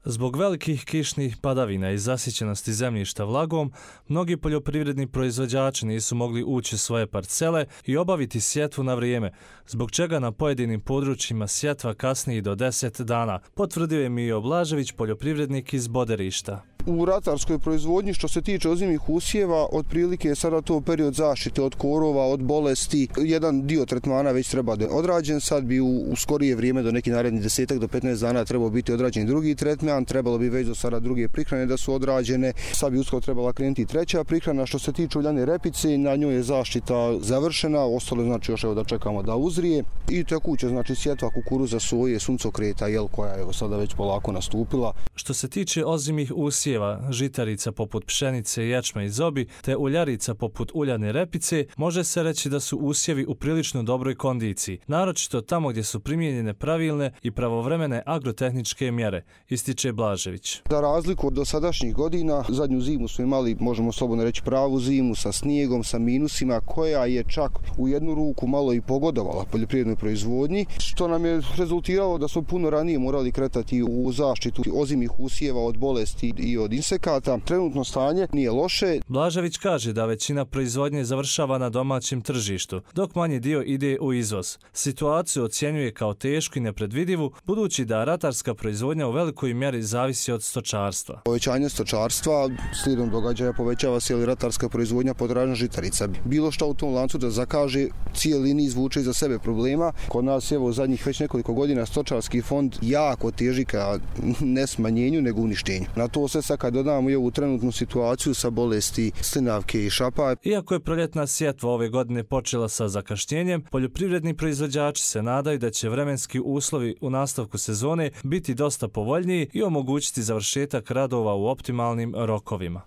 Zbog velikih kišnih padavina i zasićenosti zemljišta vlagom, mnogi poljoprivredni proizvođači nisu mogli ući u svoje parcele i obaviti sjetvu na vrijeme, zbog čega na pojedinim područjima sjetva kasni i do 10 dana, potvrdio je Mijo Blažević, poljoprivrednik iz Boderišta. U ratarskoj proizvodnji što se tiče ozimih usjeva, otprilike je sada to period zaštite od korova, od bolesti. Jedan dio tretmana već treba da je odrađen, sad bi u skorije vrijeme do nekih narednih 10 do 15 dana trebao biti odrađen drugi tretman, trebalo bi već do sada druge prihrane da su odrađene, sad bi uskoro trebala krenuti treća prihrana. Što se tiče uljane repice, na njoj je zaštita završena, ostalo znači još da čekamo da uzrije i tekuće znači sjetva kukuruza, soje, suncokreta, koja je sada već polako nastupila. Što se tiče ozimih usjeva, žitarica poput pšenice, ječma i zobi, te uljarica poput uljane repice, može se reći da su usjevi u prilično dobroj kondiciji, naročito tamo gdje su primijenjene pravilne i pravovremene agrotehničke mjere, ističe Blažević. Za razliku od dosadašnjih godina, zadnju zimu smo imali, možemo slobodno reći, pravu zimu sa snijegom, sa minusima, koja je čak u jednu ruku malo i pogodovala poljoprivrednoj proizvodnji, što nam je rezultiralo da smo puno ranije morali kretati u zaštitu ozimih usjeva od bolesti i od insekata. Trenutno stanje nije loše. Blažević kaže da većina proizvodnje završava na domaćem tržištu, dok manji dio ide u izvoz. Situaciju ocjenjuje kao tešku i nepredvidivu, budući da ratarska proizvodnja u velikoj mjeri zavisi od stočarstva. Povećanje stočarstva slijedom događaja povećava se i ratarska proizvodnja, potražnja žitarica. Bilo što u tom lancu da zakaže, cijeli niz vuče iza sebe problema. Kod nas je zadnjih već nekoliko godina stočarski fond jako teži ka ne smanjenju nego uništenju. Na to se sad kad dodamo i ovu trenutnu situaciju sa bolesti slinavke i šapa. Iako je proljetna sjetva ove godine počela sa zakašnjenjem, poljoprivredni proizvođači se nadaju da će vremenski uslovi u nastavku sezone biti dosta povoljniji i omogućiti završetak radova u optimalnim rokovima.